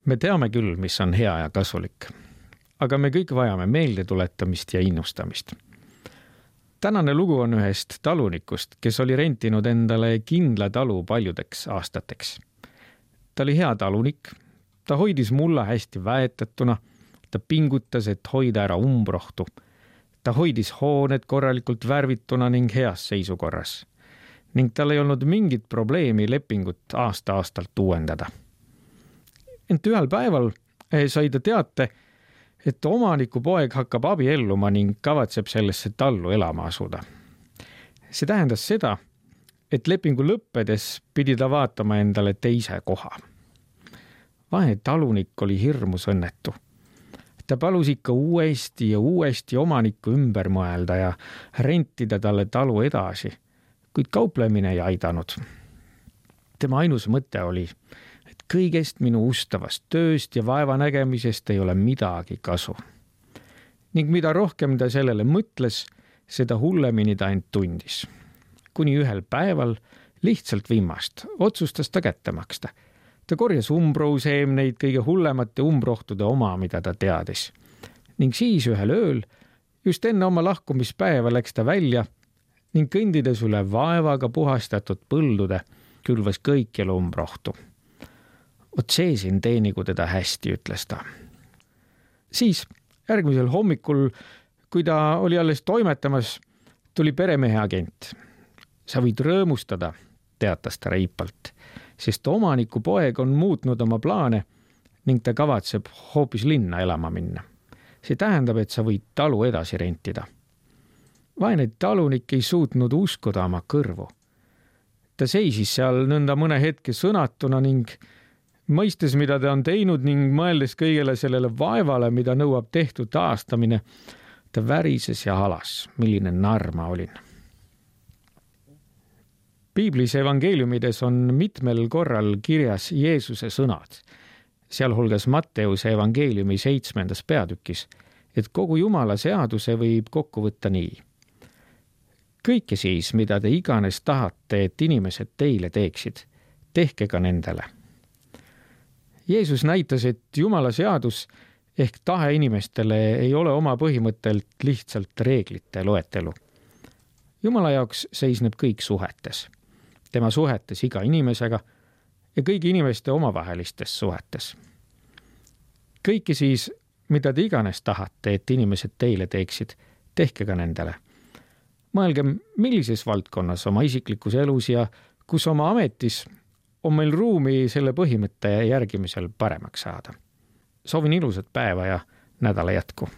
Me teame küll, mis on hea ja kasulik, aga me kõik vajame meelde tuletamist ja innustamist. Tänane lugu on ühest talunikust, kes oli rentinud endale kindla talu paljudeks aastateks. Ta oli hea talunik, ta hoidis mulla hästi väetatuna, ta pingutas, et hoida ära umbrohtu. Ta hoidis hooned korralikult värvituna ning heas seisukorras. Ning tal ei olnud mingit probleemi lepingut aasta-aastalt uuendada. Ent ühel päeval sai ta teate, et omaniku poeg hakkab abielluma ning kavatseb sellesse tallu elama asuda. See tähendas seda, et lepingu lõppedes pidi ta vaatama endale teise koha. Vaene talunik oli hirmus õnnetu. Ta palus ikka uuesti ja uuesti omanikku ümber mõelda ja rentida talle talu edasi, kuid kauplemine ei aidanud. Tema ainus mõte oli, et kõigest minu ustavast tööst ja vaevanägemisest ei ole midagi kasu. Ning mida rohkem ta sellele mõtles, seda hullemini ta end tundis. Kuni ühel päeval lihtsalt viimast otsustas ta kätte maksta. Ta korjas umbrouseemneid kõige hullemate umbrohtude oma, mida ta teadis. Ning siis ühel ööl, just enne oma lahkumispäeva läks ta välja ning kõndides üle vaevaga puhastatud põldude külvas kõikjal umbrohtu. Ot see siin teenigu teda hästi, ütles ta. Siis järgmisel hommikul, kui ta oli alles toimetamas, tuli peremehe agent. Sa võid rõõmustada, teatas ta reipalt, sest omaniku poeg on muutnud oma plaane ning ta kavatseb hoopis linna elama minna. See tähendab, et sa võid talu edasi rentida. Vaene talunik ei suutnud uskuda oma kõrvu. Ta seisis seal nõnda mõne hetke sõnatuna ning mõistes, mida ta on teinud ning mõeldes kõigele sellele vaevale, mida nõuab tehtud taastamine, ta värises ja halas, milline narr ma olin. Piiblis evangeeliumides on mitmel korral kirjas Jeesuse sõnad, sealhulgas Matteuse evangeeliumi 7. peatükis, et kogu Jumala seaduse võib kokku võtta nii. Kõike siis, mida te iganes tahate, et inimesed teile teeksid, tehke ka nendele. Jeesus näitas, et Jumala seadus ehk tahe inimestele ei ole oma põhimõttelt lihtsalt reeglite loetelu. Jumala jaoks seisneb kõik suhetes. Tema suhetes iga inimesega ja kõigi inimeste omavahelistes suhetes. Kõike siis, mida te iganes tahate, et inimesed teile teeksid, tehke ka nendele. Mõelgem, millises valdkonnas oma isiklikus elus ja kus oma ametis on meil ruumi selle põhimõtte järgimisel paremaks saada. Soovin ilusat päeva ja nädala jätku.